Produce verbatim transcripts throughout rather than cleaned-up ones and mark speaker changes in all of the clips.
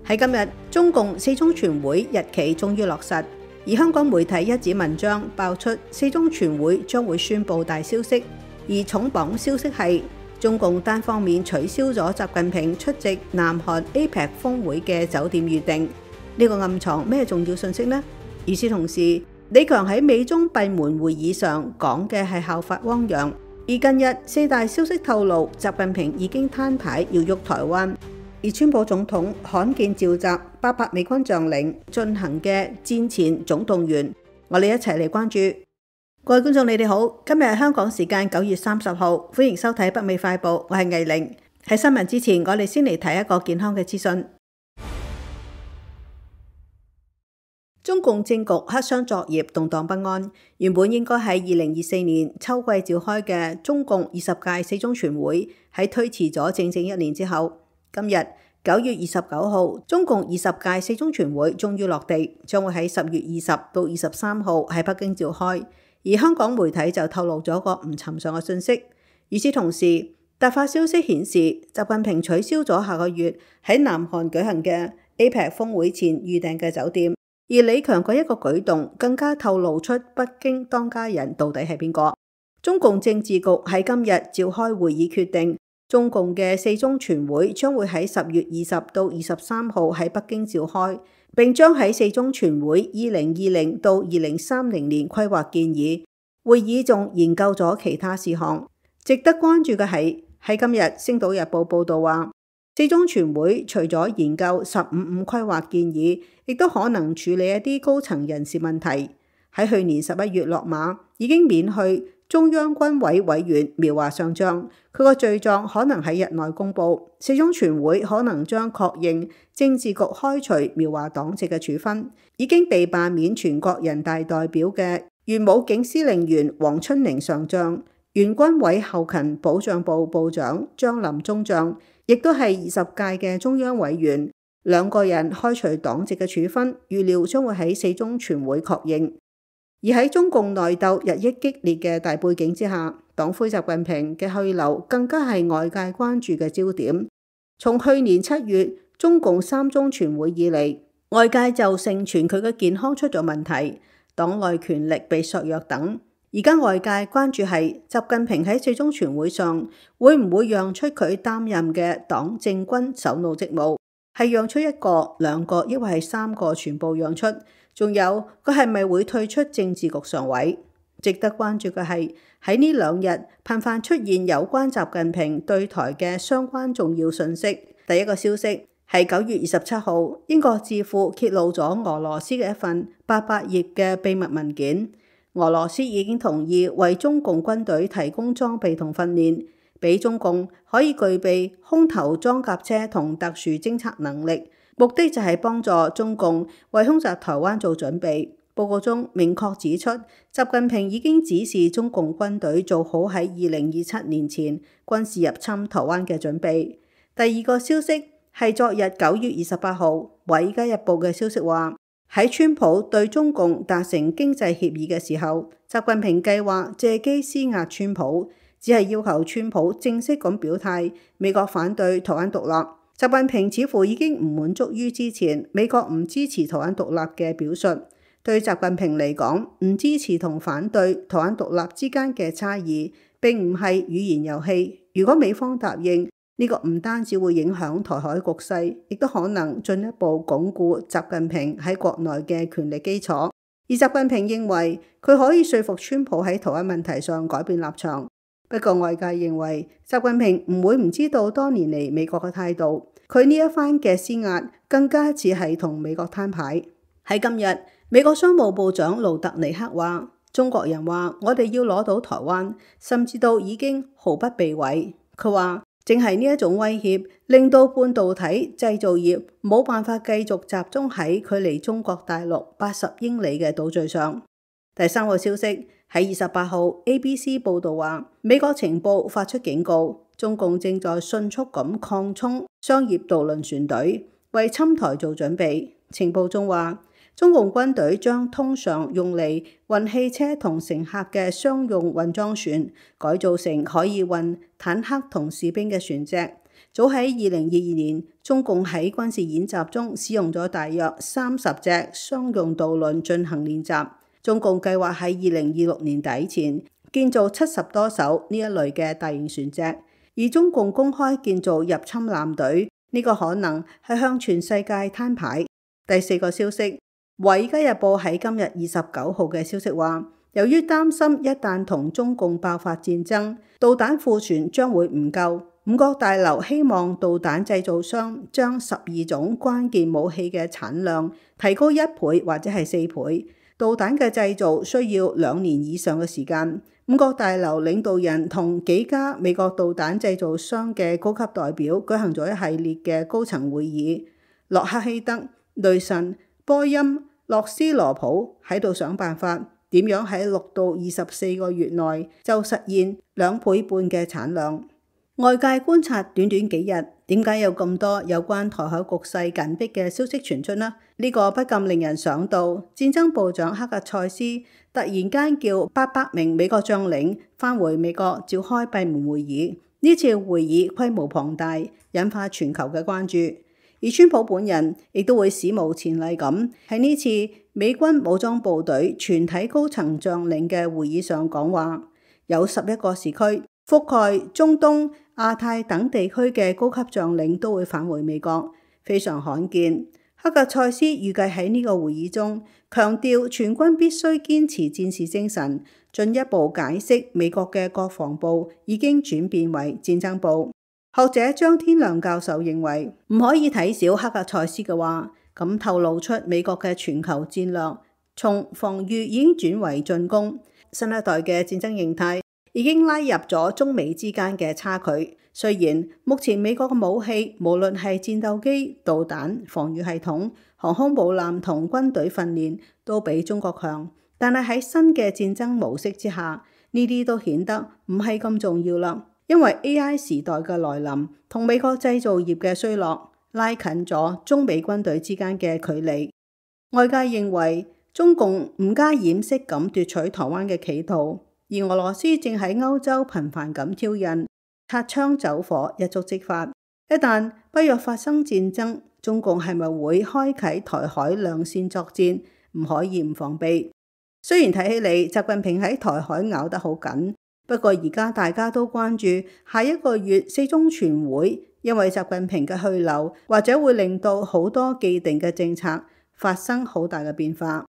Speaker 1: 喺今日，中共四中全會日期終於落實，而香港媒體一紙文章爆出四中全會將會宣布大消息，而重磅消息係中共單方面取消咗習近平出席南韓 A P E C 峰會嘅酒店預定。呢個暗藏咩重要信息呢？與此同時，李強喺美中閉門會議上講嘅係效法汪洋，而近日四大消息透露，習近平已經攤牌要喐台灣。而川普總統罕見召集八百美軍將領進行嘅戰前總動員，我哋一齊嚟關注。各位觀眾，你哋好，今日係香港時間九月三十號，歡迎收睇北美快報，我係藝玲。喺新聞之前，我哋先嚟睇一個健康嘅資訊。中共政局黑箱作業，動盪不安。原本應該喺二零二四年秋季召開嘅中共二十屆四中全會，喺推遲咗整整一年之後，今日九月二十九號，中共二十屆四中全會終於落地，將會喺十月二十到二十三號喺北京召開。而香港媒體就透露咗個唔尋常嘅信息。與此同時，突發消息顯示，習近平取消咗下個月喺南韓舉行嘅 A P E C 峰會前預訂嘅酒店。而李強嗰一個舉動，更加透露出北京當家人到底係邊個。中共政治局喺今日召開會議，決定中共嘅四中全會將會喺十月二十到二十三號喺北京召開，並將喺四中全會二零二零到二零三零年規劃建議。會議仲研究咗其他事項。值得關注嘅係，喺今日《星島日報》報道話，四中全會除咗研究十五五規劃建議，亦都可能處理一啲高層人事問題。喺去年十一月落馬，已經免去中央軍委委員苗華上將，佢個罪狀可能喺日內公布。四中全會可能將確認政治局開除苗華黨籍嘅處分。已經被罷免全國人大代表嘅原武警司令員黃春寧上將，原軍委後勤保障部部長張林中將，亦都係二十屆嘅中央委員，兩個人開除黨籍嘅處分，預料將會喺四中全會確認。而喺中共內鬥日益激烈嘅大背景之下，黨魁習近平嘅去留更加係外界關注嘅焦點。從去年七月中共三中全會以嚟，外界就盛傳佢嘅健康出咗問題，黨內權力被削弱等。而家外界關注係習近平喺四中全會上會唔會讓出佢擔任嘅黨政軍首腦職務，係讓出一個、兩個，抑或係三個全部讓出？仲有佢係咪會退出政治局常委？值得關注嘅係喺呢兩日頻繁出現有關習近平對台嘅相關重要信息。第一個消息係九月二十七號，英國智庫揭露咗俄羅斯嘅一份八百頁嘅秘密文件。俄羅斯已經同意為中共軍隊提供裝備同訓練，俾中共可以具備空投裝甲車同特殊偵察能力，目的就係幫助中共為空襲台灣做準備。報告中明確指出，習近平已經指示中共軍隊做好喺二零二七年前軍事入侵台灣嘅準備。第二個消息係昨日九月二十八號《華爾街日報》嘅消息話，喺川普對中共達成經濟協議嘅時候，習近平計劃借機施壓川普，只係要求川普正式咁表態美國反對台灣獨立。習近平似乎已經唔滿足於之前美國唔支持台灣獨立嘅表述。對習近平嚟講，唔支持同反對台灣獨立之間嘅差異並唔係語言遊戲。如果美方答應，呢個唔單止會影響台海局勢，亦都可能進一步鞏固習近平喺國內嘅權力基礎。而習近平認為佢可以說服川普喺台灣問題上改變立場。不過外界認為習近平唔會唔知道多年嚟美國嘅態度，佢呢一番嘅施壓更加似係同美國攤牌。喺今日，美國商務部長盧特尼克話：中國人話我哋要攞到台灣，甚至到已經毫不避諱。佢話正係呢一種威脅，令到半導體製造業冇辦法繼續集中喺距離中國大陸八十英里嘅島嶼上。第三個消息喺二十八號 A B C 報道話，美國情報發出警告，中共正在迅速咁擴充商業渡輪船隊，為侵台做準備。情報中話，中共軍隊將通常用嚟運汽車同乘客嘅商用運裝船改造成可以運坦克同士兵嘅船隻，早喺二零二二年，中共喺軍事演習中使用咗大約三十隻商用渡輪進行練習。中共計劃喺二零二六年底前建造七十多艘呢一類嘅大型船隻，而中共公開建造入侵艦隊，呢個可能係向全世界攤牌。第四個消息，《華爾街日報》喺今日二十九號嘅消息話，由於擔心一旦同中共爆發戰爭，導彈庫存將會唔夠，五角大樓希望導彈製造商將十二種關鍵武器嘅產量提高一倍或者係四倍。導彈嘅製造需要兩年以上嘅時間。五角大樓領導人同幾家美國導彈製造商嘅高級代表舉行咗一系列嘅高層會議。洛克希德、雷神、波音、洛斯羅普喺度想辦法點樣喺六到二十四個月內就實現兩倍半嘅產量。外界觀察短短幾日，點解有咁多有關台海局勢緊迫嘅消息傳出呢？呢、這個不禁令人想到，戰爭部長克格塞斯突然間叫八百名美國將領返回美國召開閉門會議。呢次會議規模龐大，引發全球嘅關注。而川普本人亦都會史無前例咁喺呢次美軍武裝部隊全體高層將領嘅會議上講話。有十一個時區覆蓋中東、亞太等地區嘅高級將領都會返回美國，非常罕見。克格塞斯預計喺呢個會議中強調全軍必須堅持戰士精神，進一步解釋美國嘅國防部已經轉變為戰爭部。學者張天亮教授認為唔可以睇小克格塞斯嘅話，咁透露出美國嘅全球戰略從防禦已經轉為進攻，新一代嘅戰爭形態已經拉入咗中美之間嘅差距。雖然目前美國嘅武器無論係戰鬥機、導彈、防禦系統、航空母艦同軍隊訓練都比中國強，但係喺新嘅戰爭模式之下，呢啲都顯得唔係咁重要啦。因為 A I 時代嘅來臨同美國製造業嘅衰落，拉近咗中美軍隊之間嘅距離。外界認為中共唔加掩飾咁奪取台灣嘅企圖，而俄羅斯正喺歐洲頻繁咁挑釁，擦槍走火，一觸即發。一旦北約發生戰爭，中共係咪會開啟台海兩線作戰？唔可以唔防備。雖然睇起嚟習近平喺台海咬得好緊，不過而家大家都關注下一個月四中全會，因為習近平嘅去留，或者會令到好多既定嘅政策發生好大嘅變化。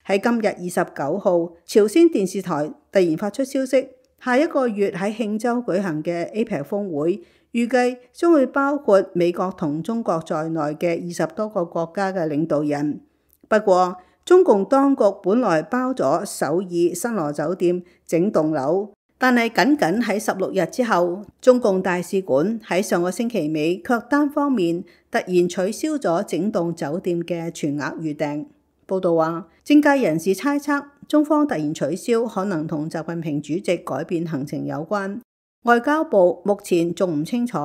Speaker 1: 喺今日二十九號，朝鮮電視台突然發出消息，下一個月喺慶州舉行嘅 A P E C 峰會，預計將會包括美國同中國在內嘅二十多個國家嘅領導人。不過，中共當局本來包咗首爾新羅酒店整棟樓，但係僅僅喺十六日之後，中共大使館喺上個星期尾卻單方面突然取消咗整棟酒店嘅全額預訂。報道話，政界人士猜測中方突然取消可能同習近平主席改變行程有關。外交部目前仲唔清楚。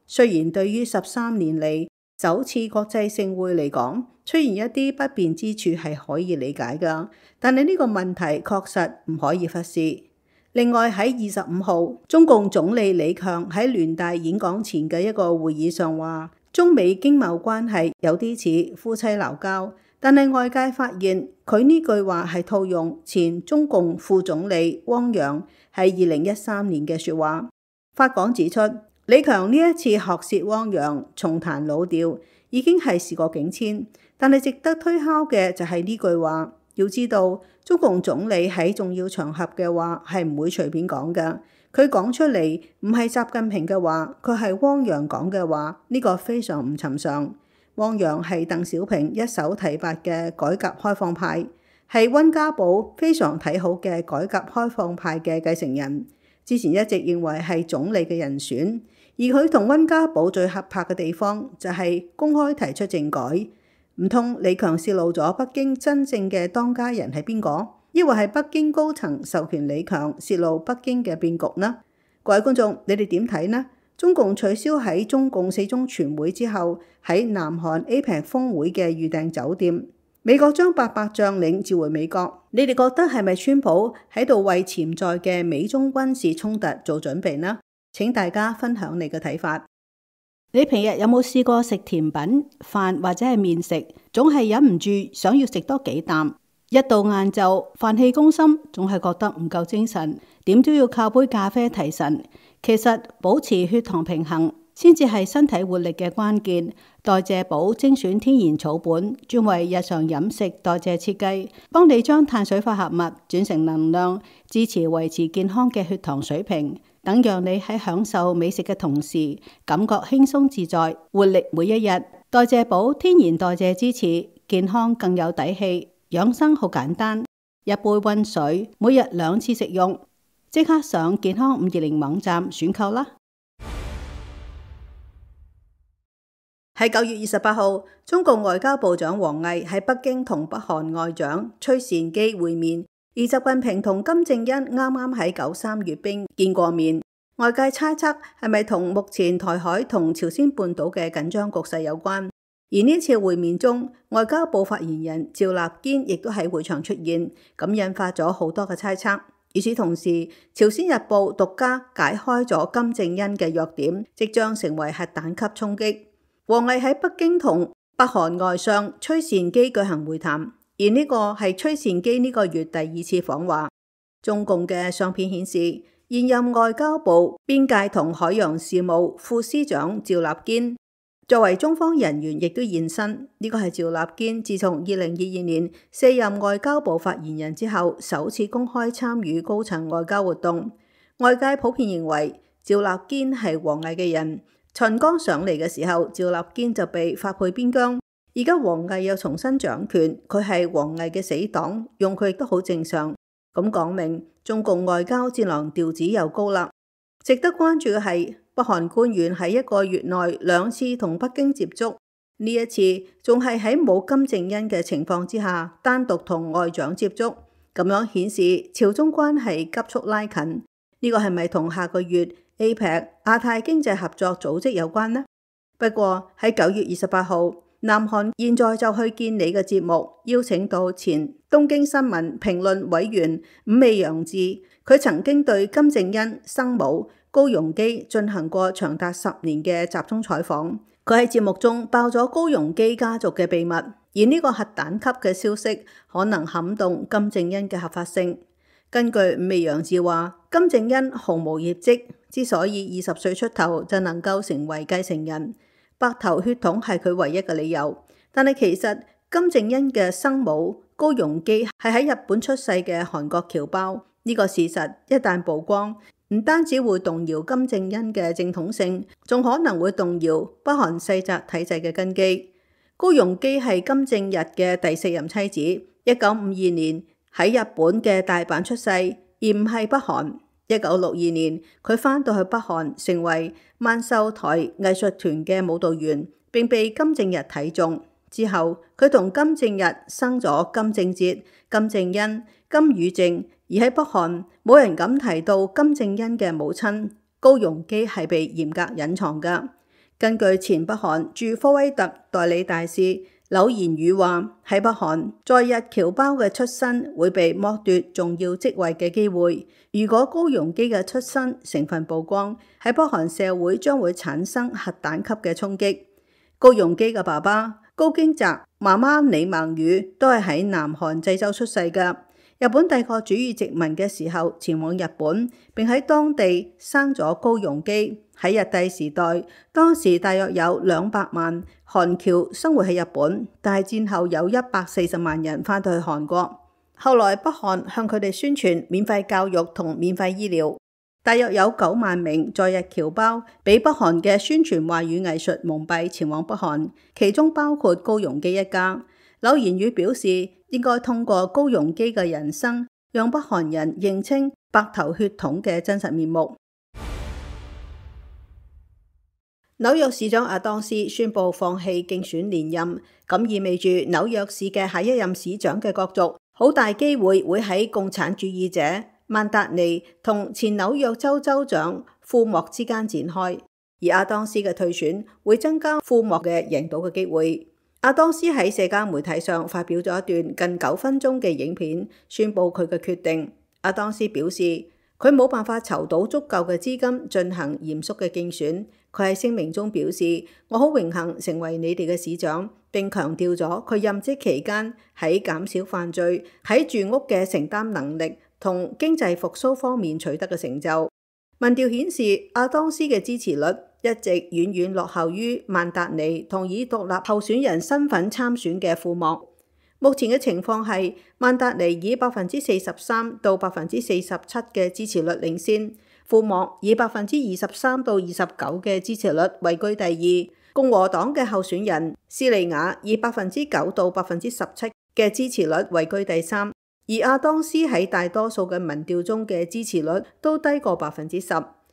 Speaker 1: 雖然對於十三年嚟首次國際盛會嚟講，出現一啲不便之處係可以理解㗎，但係呢個問題確實唔可以忽視。另外喺二十五號，中共總理李強喺聯大演講前嘅一個會議上話，中美經貿關係有啲似夫妻鬧交。但係外界發現佢呢句話係套用前中共副總理汪洋喺二零一三年嘅說話。法廣指出，李強呢一次學舌汪洋重彈老調，已經係時過境遷。但係值得推敲嘅就係呢句話。要知道，中共總理喺重要場合嘅話係唔會隨便講㗎。佢講出嚟唔係習近平嘅話，佢係汪洋講嘅話，呢個非常唔尋常。汪洋係鄧小平一手提拔嘅改革開放派，係溫家寶非常睇好嘅改革開放派嘅繼承人。之前一直認為係總理嘅人選，而佢同溫家寶最合拍嘅地方就係公開提出政改。唔通李強泄露咗北京真正嘅當家人係邊個？抑或係北京高層授權李強泄露北京嘅變局呢？各位觀眾，你哋點睇呢？中共取消喺中共四中全會之後喺南韓 A P E C 峰會嘅預訂酒店，美國將八百將領召回美國，你哋覺得係咪川普喺度為潛在嘅美中軍事衝突做準備呢？請大家分享你嘅睇法。你平日有冇試過食甜品、飯或者係麵食，總係忍唔住想要食多幾啖？一到晏晝，飯氣攻心，總係覺得唔夠精神，點都要靠杯咖啡提神。其實保持血糖平衡先至係身體活力嘅關鍵。代謝寶精選天然草本，專為日常飲食代謝設計，幫你將碳水化合物轉成能量，支持維持健康嘅血糖水平，等讓你喺享受美食嘅同時，感覺輕鬆自在，活力每一日。代謝寶天然代謝支持，健康更有底氣。養生好簡單，一杯溫水，每日兩次食用。即刻上健康五二零網站選購啦！喺九月二十八號，中共外交部長王毅喺北京同北韓外長崔善基會面，而習近平同金正恩啱啱喺九三閱兵見過面。外界猜測係咪同目前台海同朝鮮半島嘅緊張局勢有關？而呢次會面中，外交部發言人趙立堅亦都喺會場出現，咁引發咗好多嘅猜測。與此同時，朝鮮日報獨家解開咗金正恩嘅弱點，即將成為核彈級衝擊。王毅喺北京同北韓外相崔善基舉行會談，而呢個係崔善基呢個月第二次訪華。中共嘅相片顯示，現任外交部邊界同海洋事務副司長趙立堅作為中方人員亦都現身。呢個係趙立堅自從二零二二年卸任外交部發言人之後，首次公開參與高層外交活動。外界普遍認為趙立堅係王毅嘅人。秦剛上嚟嘅時候，趙立堅就被發配邊疆。而家王毅又重新掌權，佢係王毅嘅死黨，用佢亦都好正常。咁講明中共外交戰狼調子又高啦。值得關注嘅係，北韓官員喺一個月內兩次同北京接觸，呢一次仲係喺冇金正恩嘅情況之下，單獨同外長接觸，咁樣顯示朝中關係急速拉近。呢個係咪同下個月 A P E C 亞太經濟合作組織有關呢？不過喺九月二十八號，南韓現在就去見你嘅節目，邀請到前東京新聞評論委員五味洋志，佢曾經對金正恩生母高容基進行過長達十年嘅集中採訪。佢喺節目中爆咗高容基家族嘅秘密，而呢個核彈級嘅消息可能撼動金正恩嘅合法性。根據五味洋志話，金正恩毫無業績，之所以二十歲出頭就能夠成為繼承人，白頭血統係佢唯一嘅理由。但係其實金正恩嘅生母高容基係喺日本出世嘅韓國僑胞，呢個事實一旦曝光，唔單止會動搖金正恩嘅正統性，仲可能會動搖北韓世襲體制嘅根基。高容基係金正日嘅第四任妻子，一九五二年喺日本嘅大阪出世，而唔係北韓。一九六二年，佢返到去北韓，成為萬壽台藝術團嘅舞蹈員，並被金正日睇中。之後，佢同金正日生咗金正哲、金正恩、金與正。而喺北韓，冇人敢提到金正恩嘅母親高容基係被嚴格隱藏㗎。根據前北韓駐科威特代理大使柳賢宇話，喺北韓在日僑胞嘅出身會被剝奪重要職位嘅機會。如果高容基嘅出身成分曝光，喺北韓社會將會產生核彈級嘅衝擊。高容基嘅爸爸高京澤、媽媽李孟宇都係喺南韓濟州出世嘅。日本帝國主義殖民嘅時候前往日本，並喺當地生咗高容基。喺日帝時代，當時大約有兩百萬韓僑生活喺日本，但係戰後有一百四十萬人返到去韓國。後來北韓向佢哋宣傳免費教育同免費醫療，大約有九萬名在日僑胞俾北韓嘅宣傳話語藝術蒙蔽，前往北韓，其中包括高容基一家。柳賢宇表示，應該通過高容基嘅人生，讓北韓人認清白頭血統嘅真實面目。紐約市長阿當斯宣布放棄競選連任，咁意味住紐約市嘅下一任市長嘅角逐好大機會會喺共產主義者曼達尼同前紐約州州長庫莫之間展開，而阿當斯嘅退選會增加庫莫嘅贏到嘅機會。阿當斯喺社交媒體上發表咗一段近九分鐘嘅影片，宣布佢嘅決定。阿當斯表示，佢冇辦法籌到足夠嘅資金進行嚴肅嘅競選。佢喺聲明中表示：我好榮幸成為你哋嘅市長，並強調咗佢任職期間喺減少犯罪、喺住屋嘅承擔能力同經濟復甦方面取得嘅成就。民調顯示，阿當斯嘅支持率一直遠遠落後於曼達尼同以獨立候選人身份參選嘅庫莫。目前嘅情況係，曼達尼以百分之四十三到百分之四十七嘅支持率領先，庫莫以百分之二十三到二十九嘅支持率位居第二。共和黨嘅候選人斯利亞以百分之九到百分之十七嘅支持率位居第三，而阿當斯喺大多數嘅民調中嘅支持率都低過百分之十。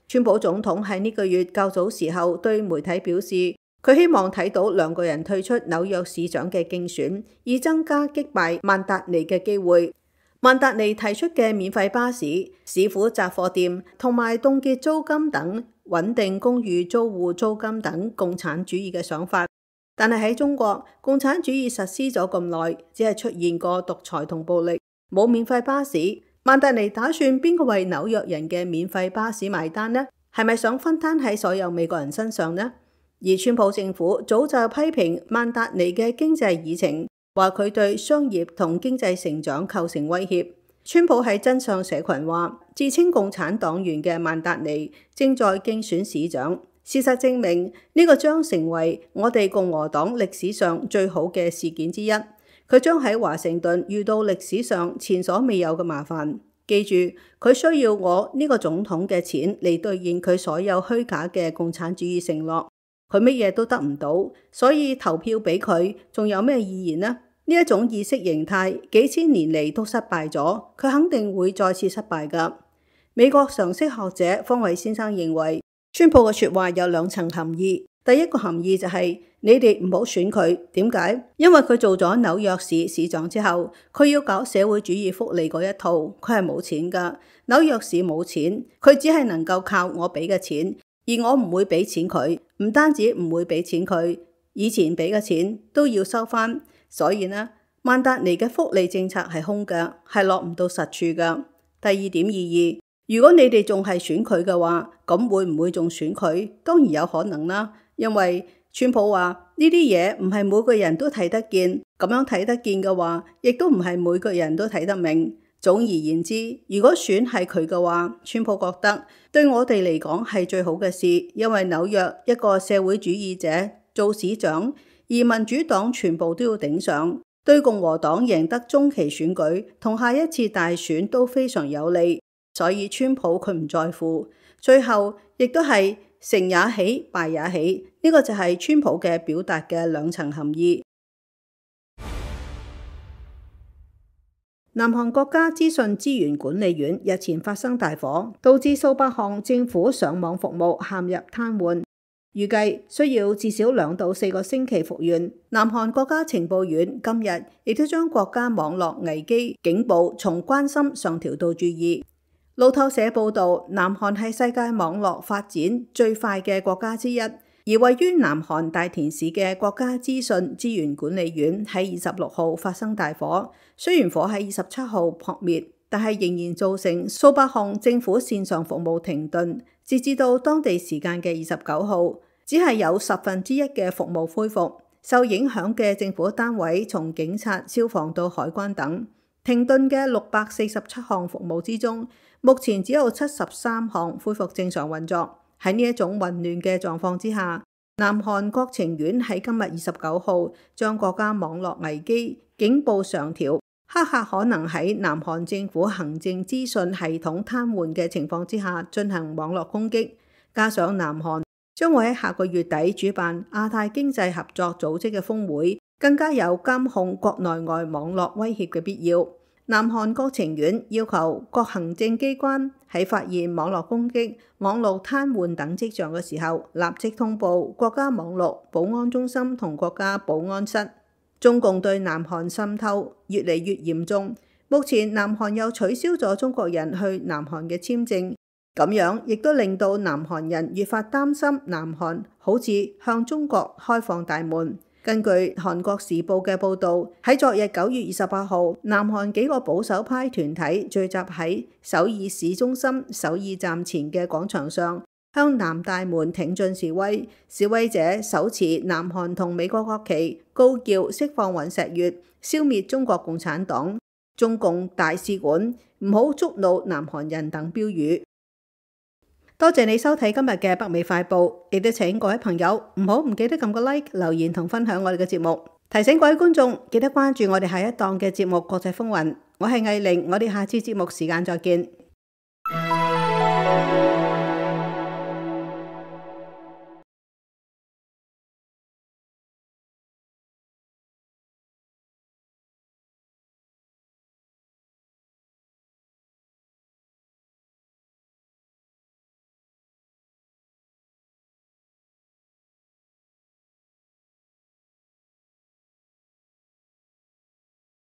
Speaker 1: 川普總統喺呢個月較早時候對媒體表示，佢希望睇到兩個人退出紐約市長嘅競選，以增加擊敗曼達尼嘅機會。曼達尼提出嘅免費巴士、市府雜貨店同埋凍結租金等穩定公寓租戶租金等共產主義嘅想法，但係喺中國，共產主義實施咗咁耐，只係出現過獨裁同暴力，冇免費巴士。曼達尼打算邊個為紐約人嘅免費巴士埋單呢？係咪想分攤喺所有美國人身上呢？而川普政府早就批評曼達尼嘅經濟議程，話佢對商業同經濟成長構成威脅。川普喺真相社群話，自稱共產黨員嘅曼達尼正在競選市長。事實證明，呢個將成為我哋共和黨歷史上最好嘅事件之一。佢將喺華盛頓遇到歷史上前所未有嘅麻煩。記住，佢需要我呢個總統嘅錢嚟兌現佢所有虛假嘅共產主義承諾。佢乜嘢都得唔到，所以投票俾佢仲有咩意義呢？呢一種意識形態幾千年嚟都失敗咗，佢肯定會再次失敗㗎。美國常識學者方偉先生認為，川普嘅說話有兩層含義。第一個含義就係、是、你哋唔好選佢，點解？因為佢做咗紐約市市長之後，佢要搞社會主義福利嗰一套，佢係冇錢㗎。紐約市冇錢，佢只係能夠靠我俾嘅錢。而我唔會俾錢佢，唔單止唔會俾錢佢，以前俾嘅錢都要收返。所以呢，曼達尼嘅福利政策係空嘅，係落唔到實處嘅。第二點意義，如果你哋仲係選佢嘅話，咁會唔會仲選佢？當然有可能啦，因為川普話呢啲嘢唔係每個人都睇得見，咁樣睇得見嘅話，亦都唔係每個人都睇得明。總而言之，如果選係佢嘅話，川普覺得對我哋嚟講係最好嘅事，因為紐約一個社會主義者做市長，而民主黨全部都要頂上，對共和黨贏得中期選舉同下一次大選都非常有利。所以川普佢唔在乎，最後亦都係成也喜，敗也喜。呢個就係川普嘅表達嘅兩層含義。南韓國家資訊資源管理院日前發生大火，導致數百項政府上網服務陷入癱瘓，預計需要至少兩到四個星期復原。南韓國家情報院今日亦都將國家網絡危機警報從關心上調到注意。路透社報道，南韓係世界網絡發展最快嘅國家之一。而位於南韓大田市嘅國家資訊資源管理院喺二十六號發生大火，雖然火喺二十七號撲滅，但係仍然造成數百項政府線上服務停頓。截至到當地時間嘅二十九號，只係有十分之一嘅服務恢復。受影響嘅政府單位從警察、消防到海關等，停頓嘅六百四十七項服務之中，目前只有七十三項恢復正常運作。喺呢一種混亂嘅狀況之下，南韓國情院喺今日二十九號將國家網絡危機警報上調，黑客可能喺南韓政府行政資訊系統癱瘓嘅情況之下進行網絡攻擊。加上南韓將會喺下個月底主辦亞太經濟合作組織嘅峰會，更加有監控國內外網絡威脅嘅必要。南韓國情院要求各行政機關喺發現網絡攻擊、網絡癱瘓等跡象嘅時候，立即通報國家網絡保安中心同國家保安室。中共對南韓滲透越嚟越嚴重，目前南韓又取消咗中國人去南韓嘅簽證，咁樣亦都令到南韓人越發擔心南韓好似向中國開放大門。根據韓國時報嘅報導，喺昨日九月二十八號，南韓幾個保守派團體聚集喺首爾市中心首爾站前嘅廣場上，向南大門挺進示威。示威者手持南韓同美國國旗，高叫釋放尹錫悅、消滅中國共產黨、中共大使館、唔好觸怒南韓人等標語。多謝你收睇今日嘅北美快報，亦都請各位朋友唔好唔記得撳個 like、留言同分享我哋嘅節目。提醒各位觀眾記得關注我哋下一檔嘅節目《國際風雲》。我係藝玲，我哋下次節目時間再見。